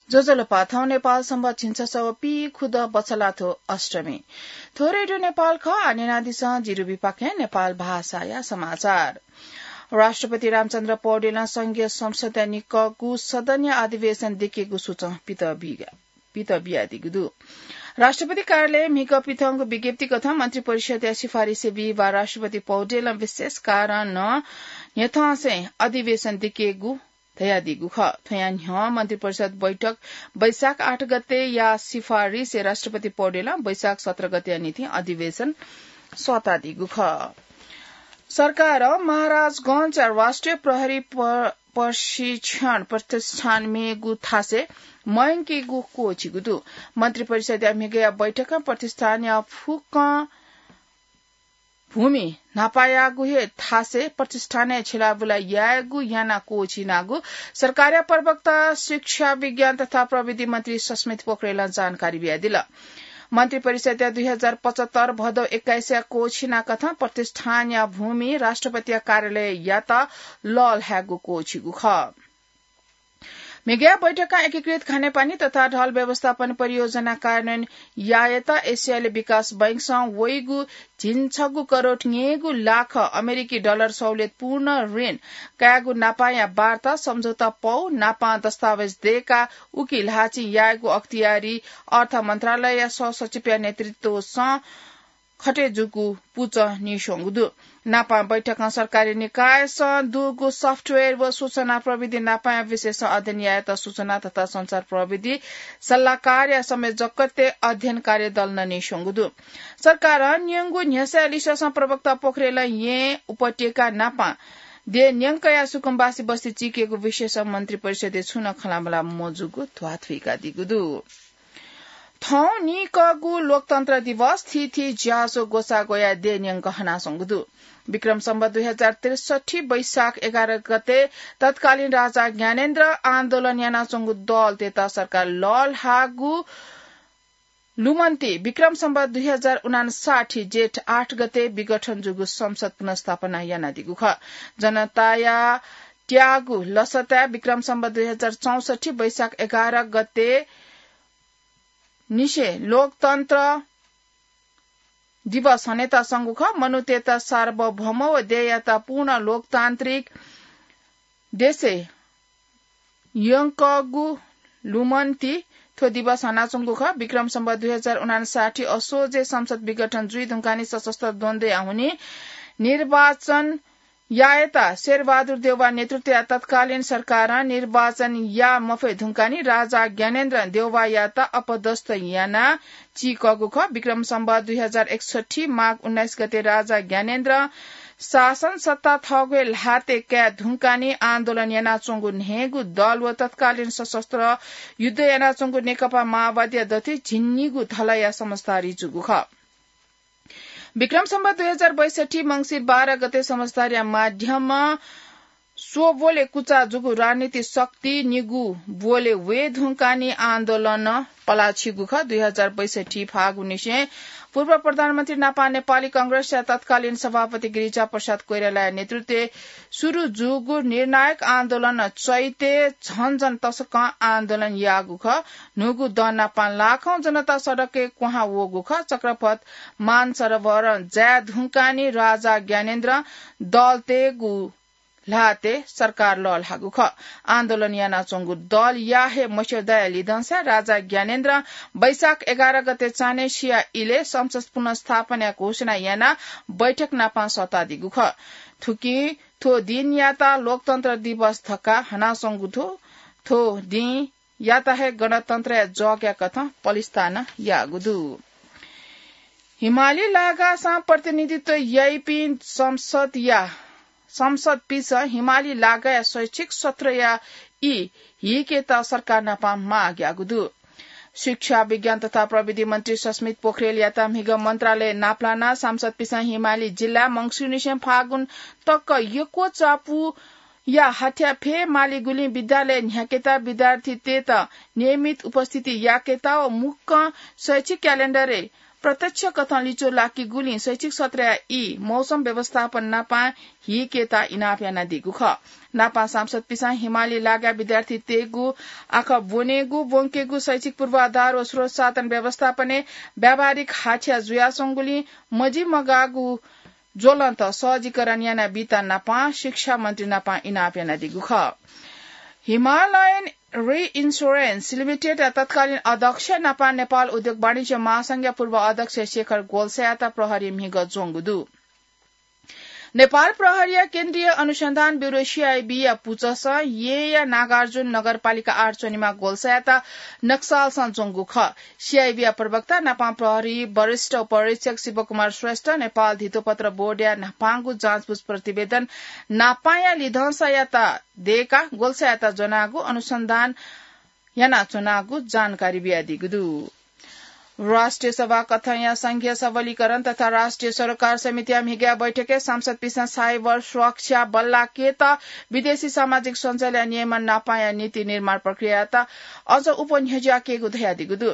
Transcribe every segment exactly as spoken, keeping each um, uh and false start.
ज्वजलपा, थौं नेपाल संवत् झिंछसः व पीखुदँ बछलाथ्व अष्टमी। थ्व रेडियो नेपाल खः, आः न्यनादिसँ जिरुबिपाखें नेपाल भाषाया समाचार। राष्ट्रपति रामचन्द्र पौडेलं संघीय संसदया निकःगु सदनया अधिवेशन दिकेगु सूचं पित बिया-, पित बियादीगु दु। राष्ट्रपति कार्यालयं म्हिगः पिथंगु विज्ञप्ति कथं मन्त्री परिषदया सिफारिसय् बिहिबाः राष्ट्रपति पौडेलं विशेष कारणं न्ह्यथंसें अधिवेशन दिकेगु धयादीगु खः। थ्वयां न्ह्यः मन्त्री परिषद बैठक वैशाख आठ गतेया सिफारिसय् राष्ट्रपति पौडेलं वैशाख सत्र गतेया निंतिं अधिवेशन सःतादीगु खः। सरकारं महाराजगंजया राष्ट्रिय प्रहरी प-, प्रशिक्षण प्रतिष्ठान मेगु थासय् मयंकेगु क्वःछिगु दु। मन्त्री परिषदया म्हिगःया बैठकं प्रतिष्ठानया फुक्कं भूमि न्हापायागु हे थासय् प्रतिष्ठानय् छिलाबुला यायेगु यानाः क्वःछिनागु सरकारया प्रवक्ता शिक्षा, विज्ञान तथा प्रविधि मन्त्री सस्मित पोखरेलं जानकारी बियादिल। मन्त्री परिषदया दुई हजार पचहत्तर भदौ एक्काइसया क्वःछिना कथं प्रतिष्ठानया भूमि राष्ट्रपतिया कार्यालययात लःल्हायेगु क्वःछिगु खः। म्हिगःया बैठकं एकीकृत खानेपानी तथा ढल व्यवस्थापन परियोजना कार्यान्वयन यायेत एसियाली विकास बैंकसं वइगु झिंछगू करोड न्यय्गू लाख अमेरिकी डलर सहुलियतपूर्ण ऋण कायेगु नापांया वार्ता सम्झौता पौ नापां दस्तावेज दय्काः उकी ल्हाःचिं यायेगु अख्तियारी अर्थ मन्त्रालयया सहसचिवया नेतृत्वसं खटे जूगु पुचः नीस्वंगु दु। नापां बैठकं सरकारी निकायसं दुगु software व सूचना प्रविधि नापांया विषयसं अध्ययन यायेत सूचना तथा सञ्चार प्रविधि सल्लाहकारया संयोजकत्वय् अध्ययन कार्य दल नं नीस्वंगु दु। सरकारं न्यंगु न्ह्यसःया लिसेंसं प्रवक्ता पोखरेलं येँ उपत्यका नापां देय् न्यंकया सुकुम्बासी बस्ती चीकेगु विषयसं मन्त्री परिषदय् छुं नं खँल्हाबल्हा मजूगु ध्वाथुइकादीगु दु। थौं नीकःगु लोकतन्त्र दिवस थीथी ज्याझ्वः ग्वसाः ग्वयाः देय् न्यंक हनाच्वंगु दु। विक्रम सम्वत दुई हजार त्रिसठ्ठी वैशाख एघार गते तत्कालीन राजा ज्ञानेन्द्र आन्दोलन यानाच्वंगु दलतय्त सरकार लःल्हाःगु लुमन्ति विक्रम सम्वत दुई हजार उनासाठी जेठ आठ गते विघटन जूगु संसद पुनर्स्थापना यानादीगु खः। जनताया त्याःगु लसताय् विक्रम सम्वत दुई हजार चौसठी वैशाख एघार गते निसें लोकतन्त्र दिवस हनेत संगु खः। मनूतय्त सार्वभौम व देय्यात पूर्ण लोकतान्त्रिक देशय् यंकःगु लुमन्ति थ्व दिवस हनाच्वंगु खः। विक्रम सम्वत दुई हजार उनासाठी असोजय् संसद विघटन जुइ धुंकानि सशस्त्र द्वन्द्वया हुनिं निर्वाचन यायेत शेरबहादुर देउवा नेतृत्वया तत्कालीन सरकारं निर्वाचन याये मफये धुंकानि राजा ज्ञानेन्द्र देउवायात अपदस्थ यानाः चीकःगु खः। विक्रम सम्वत दुई हजार एकसठी माघ उन्नाइस गते राजा ज्ञानेन्द्र शासन सत्ता थःगु हे ल्हातय् काये धुंकानि आन्दोलन यानाच्वंगु न्हय्गू दल व तत्कालीन सशस्त्र युद्ध यानाच्वंगु नेकपा माओवादीया दथुइ झिंनिगू धलया समझदारी जूगु खः। विक्रम सम्वत दुई हजार बैसठी मंसिर बाह्र गते समझदारीया माध्यमं स्वब्वलय् कुचा जूगु राजनीतिक शक्ति निगू ब्वलय् वये धुंकानि आन्दोलन पलाछिगु खः। दुई हजार बैसठी फागुननिसें पूर्व प्रधानमन्त्री नापा नेपाली कांग्रेसया तत्कालीन सभापति गिरिजा प्रसाद कोइरालाया नेतृत्वय् सुरु जूगु निर्णायक आन्दोलन चैतय् झन झन तसकं आन्दोलन याःगु खः। न्हूगु दँ नापं लाखौं जनता सडकय् क्वहां वःगु खः। चक्रपथ मानसरोवर जाये धुंकानि राजा ज्ञानेन्द्र दलतय्गु ल्हातय् सरकार लःल्हाःगु खः। आन्दोलन यानाच्वंगु दलया हे मस्यौदाया लिधंसा राजा ज्ञानेन्द्रं वैशाख एघार गते चान्हय् सिया इलय् संसद पुनर्स्थापनाया घोषणा यानाः बैठक नापं सःतादीगु खः। थुकिं थ्व दिनयात लोकतन्त्र दिवस धकाः हनाच्वंगु दु। थ्व दिं यात हे गणतन्त्रया जगया कथं पलिस्था नं याःगु दु। हिमाली लागासं प्रतिनिधित्व याइपिं संसदया, संसदपिसं हिमाली लागाया शैक्षिक सत्रया ई हिकेत सरकार नापं माग याःगु दु। शिक्षा, विज्ञान तथा प्रविधि मन्त्री सस्मित पोखरेलयात म्हिगः मन्त्रालय नापलानाः सांसदपिसं हिमाली जिल्ला मंसिरनिसें फागुन तक यक्व चापु या हाथ्या फय् मालीगुलिं विद्यालय न्ह्याकेत, विद्यार्थीतय्त नियमित उपस्थिति याकेत व मुक्कं शैक्षिक क्यालेण्डरय् प्रत्यक्ष कथं लिच्वः लाकीगुलिं शैक्षिक सत्रया ई मौसम व्यवस्थापन नापां हीकेत इनाप यानादीगु खः। नापां सांसदपिसं हिमाली लागा विद्यार्थीतय्गु आखः ब्वनेगु, ब्वंकेगु शैक्षिक पूर्वाधार व स्रोत साधन व्यवस्थापनय् व्यावहारिक हाछ्या जुयाच्वंगुलिं मजिमगाःगु ज्वलंत सहजीकरण यानाबीत नापां शिक्षा मन्त्री नापां इनाप यानादीगु खः। हिमालयन रिइन्स्योरेन्स लिमिटेडया तत्कालीन अध्यक्ष नापां नेपाल उद्योग वाणिज्य महासंघया पूर्व अध्यक्ष शेखर गोल्सायात प्रहरीं म्हिगः ज्वंगु दु। नेपाल प्रहरीया केन्द्रीय अनुसन्धान ब्यूरो, सीआईबीया पुचःसं येँया नागार्जुन नगरपालिका आठ च्वनेमाः गोल्सायात नक्सलसं ज्वंगु खः। सीआईबीया प्रवक्ता नापां प्रहरी वरिष्ठ उपरीक्षक शिवकुमार श्रेष्ठ नेपाल धितोपत्र बोर्डया न्हापांगु जाँचबुझ प्रतिवेदन नापांया लिधंसायात दयेकाः गोल्सायात ज्वनागु अनुसन्धान यानाच्वनागु जानकारी बियादीगु दु। राष्ट्रिय सभा कथंया संघीय सबलीकरण तथा राष्ट्रिय सरोकार समितिया म्हिगःया बैठकय् सांसदपिसं साइबर सुरक्षा बल्लाकेत विदेशी सामाजिक सञ्जालया नियमन नापांया नीति निर्माण प्रक्रियायात अझ उप न्ह्यज्याकेगु धयादीगु दु।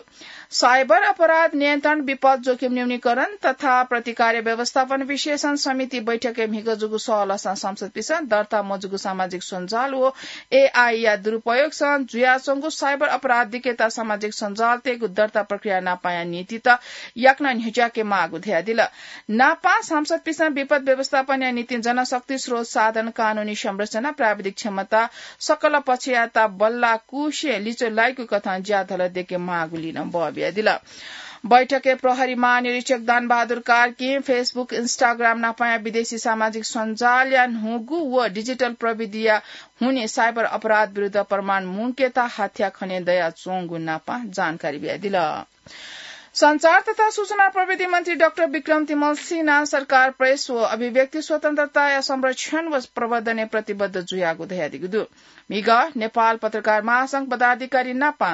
साइबर अपराध नियन्त्रण, विपद जोखिम न्यूनीकरण तथा प्रतिकार व्यवस्थापन विशेषज्ञ समिति बैठकय् म्हिगः जूगु सहलहसं सांसदपिसं दर्ता मजूगु सामाजिक सञ्जाल व एआईया दुरुपयोगसं जुयाच्वंगु साइबर अपराध दिकेत सामाजिक सञ्जालतय्गु दर्ता प्रक्रिया नापांया नीतित याकनं न्ह्यज्याके माःगु धयादिल। नापां सांसदपिसं विपद व्यवस्थापनया निंतिं जनशक्ति, स्रोत साधन, कानूनी संरचना, प्राविधिक क्षमता, सकल पक्षयात बल्लाकुसे लिच्वः लाइगु कथं ज्याझ्वलय् दयेके माःगुलिं नं बः बियादिल। बैठकय् प्रहरी महानिरीक्षक दानबहादुर कार्कीं Facebook, Instagram नापांया विदेशी सामाजिक सञ्जालया न्हूगु व डिजिटल प्रविधिया हुनिं साइबर अपराध विरुद्ध प्रमाण मुंकेत हाथ्या खने दयाच्वंगु नापां जानकारी बियादिल। सञ्चार तथा सूचना प्रविधि मन्त्री डाक्टर विक्रम तिमल सिन्हा सरकार प्रेस व अभिव्यक्ति स्वतन्त्रताया संरक्षण व प्रवर्धनय् प्रतिबद्ध जुयागु धयादीगु दु। म्हिगः नेपाल पत्रकार महासंघ पदाधिकारी नापां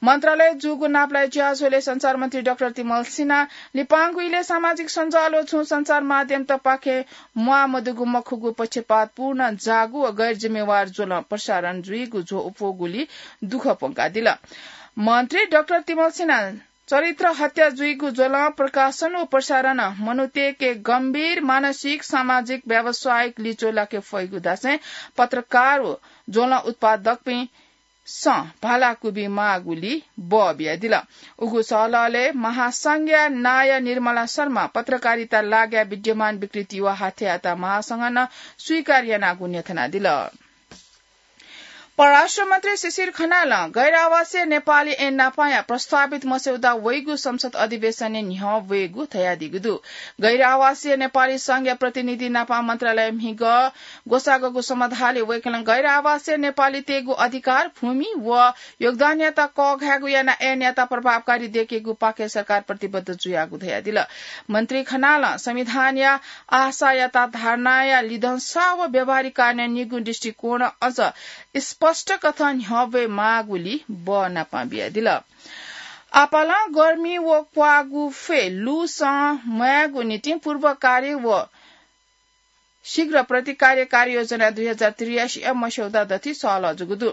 मन्त्रालय जूगु नापलाये ज्याझ्वलय् सञ्चार मन्त्री डाक्टर तिमल सिन्हां लिपांगु इलय् सामाजिक सञ्जाल व छुं सञ्चार माध्यमतपाखें म्वाःमदुगु मखुगु पक्षपातपूर्ण जाःगु व गैरजिम्मेवार ज्वलं प्रसारण जुइगु झ्वः उप्वःगुलिं दुःख प्वंकादिल। मन्त्री डाक्टर तिमल सिन्हां चरित्र हत्या जुइगु ज्वलं प्रकाशन व प्रसारणं मनूतय्के गम्भीर मानसिक, सामाजिक, व्यावसायिक लिच्वः लाके फइगु धासें पत्रकार व ज्वलं उत्पादकपिं सं भालाकुबी माःगुलिं बः बियादिल। उगु सहलहलय् महासंघया नायः निर्मला शर्मा, पत्रकारिता लागाय् विद्यमान विकृति व हाथ्यायात महासंघं नं स्वीकार यानागु न्ह्यथनादिल। परराष्ट्र मन्त्री शिशिर खनालं गैर आवासीय नेपाली ऐन नापांया प्रस्तावित मस्यौदा वइगु संसद अधिवेशनय् न्ह्यः वयेगु धयादीगु दु। गैर आवासीय नेपाली संघया प्रतिनिधि नापां मन्त्रालय म्हिगः ग्वसाःगु समाधानय् वय्कलं गैर आवासीय नेपालीतय्गु अधिकार, भूमि व योगदानयात कःघायेगु यानाः ऐनयात प्रभावकारी दयेकेगु पाखें सरकार प्रतिबद्ध जुयागु धयादिल। मन्त्री खनालं संविधानया आशायात धारणाया लिधंसा व व्यावहारिक कार्यान्वयनया निगू दृष्टिकोण अझ स्पष्ट कथं न्ह्यः वये माःगुलिं बः नापां बियादिल। आपालं गर्मी व क्वाःगु फ्वय् लुसं म्वायेगु निंतिं पूर्व कार्य व शीघ्र प्रतिकार्य कार्ययोजना दुई हजार त्रियासी या मस्यौदा दथुइ सहलह जूगु दु।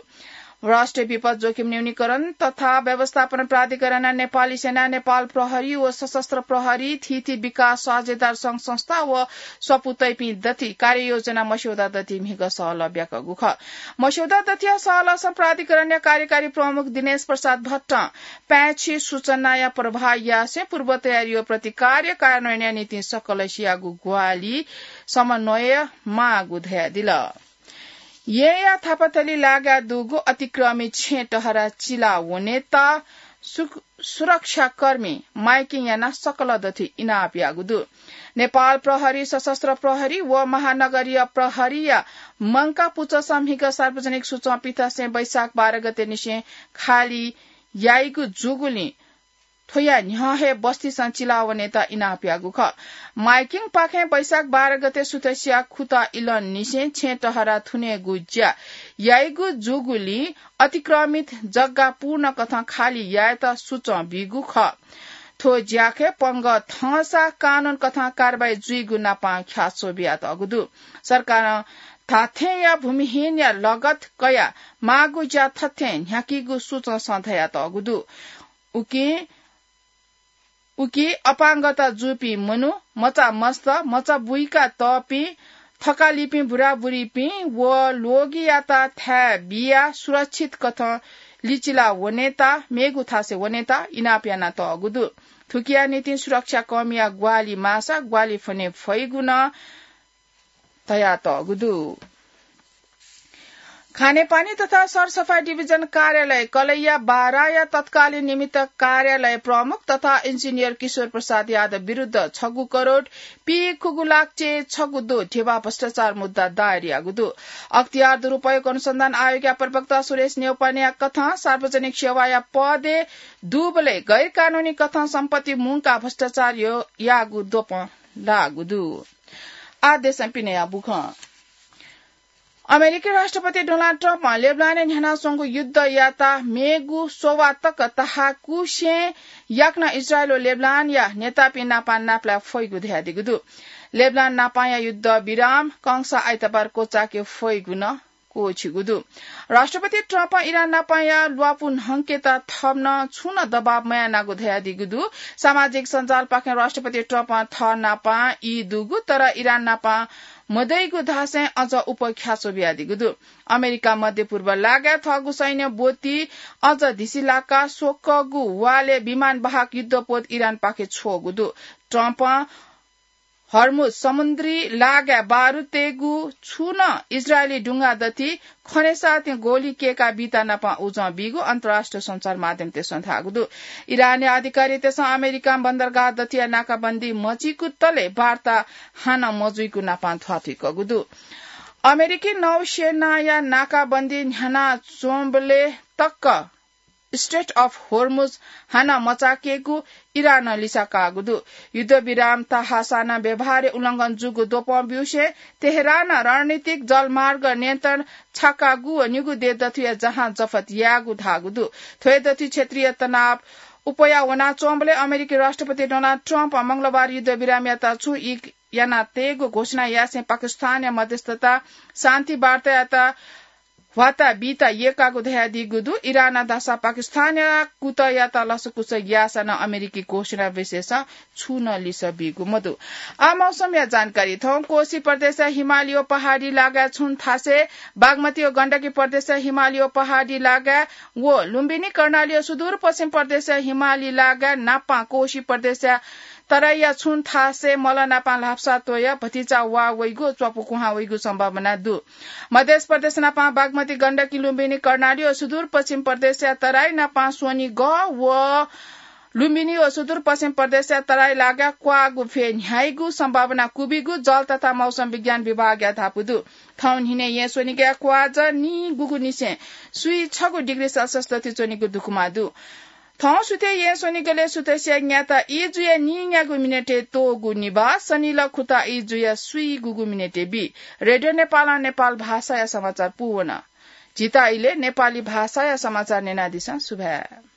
राष्ट्रिय विपद जोखिम न्यूनीकरण तथा व्यवस्थापन प्राधिकरणं नेपाली सेना, नेपाल प्रहरी व सशस्त्र प्रहरी, थीथी विकास साझेदार संघ संस्था व स्वापू तइपिं दथुइ कार्ययोजना मस्यौदा दथुइ म्हिगः सहलह ब्याकःगु खः। मस्यौदा दथुया सहलहसं प्राधिकरणया कार्यकारी प्रमुख दिनेश प्रसाद भट्टं पाय्छि सूचनाया प्रवाह यासें पूर्व तयारी व प्रतिकार्य कार्यान्वयनया निंतिं सकलसियागु ग्वाहालि समन्वय माःगु धयादिल। येँया थापाथली लागाय् दुगु अतिक्रमित छेँ टहरा चिला वनेत सु-, सुरक्षाकर्मी माइकिङ यानाः सकल दथुइ इनाप याःगु दु। नेपाल प्रहरी, सशस्त्र प्रहरी व महानगरीय प्रहरीया मंकाः पुचःसं म्हिगः सार्वजनिक सुचं पिथासें वैशाख बाह्र गते निसें खाली याइगु जूगुलिं थ्वया न्ह्यः हे बस्तीसं चिला वनेत इनाप याःगु खः। माइकिङपाखें वैशाख बाह्र गते सुथसिया खुता इलंनिसें छेँ टहरा थुनेगु ज्या याइगु जूगुलिं अतिक्रमित जग्गा पूर्ण कथं खाली यायेत सुचं बीगु खः। थ्व ज्याखँय् पंगः थंसा कानून कथं कारवाही जुइगु नापां ख्याच्वः बियातःगु दु। सरकारं धात्थेंया भूमिहीनया लगत कयाः माःगु ज्या थथें न्ह्याकीगु सुचंसं धयातःगु दु। उकिं उकी अपाङ्गता जूपिं मनू, मचा मस्त, मचा बुइका तःपिं, थकालिपिं बुराबुरीपिं व ल्वगियात थाय् बियाः सुरक्षित कथं लिचिला वनेता, मेगु थासय् वनेता इनाप यानातःगु दु। थुकिया निंतिं सुरक्षा कर्मीया ग्वाहालि माःसा ग्वाहालि फ्वने फइगु नं धयातःगु दु। खानेपानी तथा सरसफाई डिभिजन कार्यालय कलैया बाराया तत्कालीन निमित्त कार्यालय प्रमुख तथा इन्जिनियर किशोर प्रसाद यादव विरुद्ध छगू करोड पीखुगू लाख चे छगू दो ध्यबा भ्रष्टाचार मुद्दा दायर याःगु दु। अख्तियार दुरुपयोग अनुसन्धान आयोगया प्रवक्ता सुरेश न्यौपानेया कथं सार्वजनिक सेवाया पदय् दुबलय् गैरकानूनी कथं सम्पत्ति मुंकाः भ्रष्टाचार यो-, याःगु द्वपं लाःगु दु। आः देशं पिनेया बुखँ। अमेरिकी राष्ट्रपति डोनाल्ड ट्रम्पं लेबनानय् न्ह्यानाच्वंगु युद्धयात मेगु सोवा तक तहाकुसें याकनं इजरायल व लेबनानया नेतापिं नाप नापलाये फइगु धयादीगु दु। लेबनान नापया युद्ध विराम कंसा आइतबार क्वचाके फइगु नं क्वःछिगु दु। राष्ट्रपति ट्रम्पं इरान नापया ल्वापु न्हंकेत थन छुं नं दबाब मयानागु धयादीगु दु। सामाजिक सञ्जालपाखें राष्ट्रपति ट्रम्पं थः नापं ई दुगु, तर इरान नापं मदइगु धासें अझ उप ख्याच्वः बियादीगु दु। अमेरिकां मध्यपूर्व लागाय् थःगु सैन्य ब्वति अझ धिसिलाकाः स्वकःगु वालय् विमानवाहक युद्धपोत इरानपाखे छ्वःगु दु। ट्रम्पं हर्मुज समुद्री लागाय् बारुतय्गु छुं नं इजरायली डुंगा दथि खनेसाथं गोली केका बीता नापं उजं बीगु अन्तर्राष्ट्रिय सञ्चार माध्यमतय्सं धाःगु दु। इरानया अधिकारीतय्सं अमेरिकां बन्दरगाह दथिया नाकाबन्दी मचीकु तले वार्ता हानं मजुइकु नापं ध्वाथुइकूगु दु। अमेरिकी नौसेनाया नाकाबन्दी न्ह्यानाच्वंबलय् तक Strait of Hormuz हानं मचाकेगु इरानं लिसा काःगु दु। युद्धविराम तहासां नं व्यवहारय् उल्लंघन जूगु द्वपं ब्यूसें तेहरानं रणनीतिक जलमार्ग नियन्त्रण छाकागु व निगू देय् दथुया जहाज जफत याःगु धाःगु दु। थ्व हे दथुइ क्षेत्रीय तनाव अप्वया वनाच्वंबलय् अमेरिकी राष्ट्रपति डोनाल्ड ट्रम्पं मंगलबार युद्धविरामयात छुं ई यानातयेगु घोषणा यासें पाकिस्तानया मध्यस्थता शान्ति वार्तायात ह्वाता बीता यय्कागु धयादीगु दु। इरानं धाःसा पाकिस्तानया कुतःयात लसकुस याःसां नं अमेरिकी घोषणा विषयसं छुं नं लिसः बीगु मदु। आः मौसमया जानकारी। थौं कोशी प्रदेशया हिमालय पहाडी लागाय् छुं थासय्, बागमती व गण्डकी प्रदेशया हिमालय पहाडी लागाय् व लुम्बिनी कर्णाली व सुदूरपश्चिम प्रदेशया हिमाली लागाय् नापं कोशी प्रदेशया तराईया छुं थासय् मल नापं ल्हापसा त्वया भतिचा वा वइगु, च्वापु कुहां वइगु सम्भावना दु। मध्य प्रदेश नापं बागमती, गण्डकी, लुम्बिनी, कर्णाली व सुदूरपश्चिम प्रदेशया तराई नापं स्वनिगः व लुम्बिनी व सुदूरपश्चिम प्रदेशया तराई लागाय् क्वाःगु भ्वय् न्ह्याइगु सम्भावना क्वबिगु जल तथा मौसम विज्ञान विभागया धापू दु। थौं न्हिनय् येँ स्वनिगःया क्वाःजः निगूगुनिसें स्वीगू छगू डिग्री सेल्सियस दथुइ च्वनीगु दुकुमा दु। थौं सुथय् येँ स्वनिगलय् सुथसिया न्याता ई जुया नीन्यागू मिनेटय् त्वःगु निभाः सनिलः खुता ई जुया स्वीगूगु मिनेटय् बी। रेडियो नेपालं नेपाल भाषाया समाचार पूवन। झीत इलय् नेपाली भाषाया समाचार न्यनादिसँ। सुभाय्।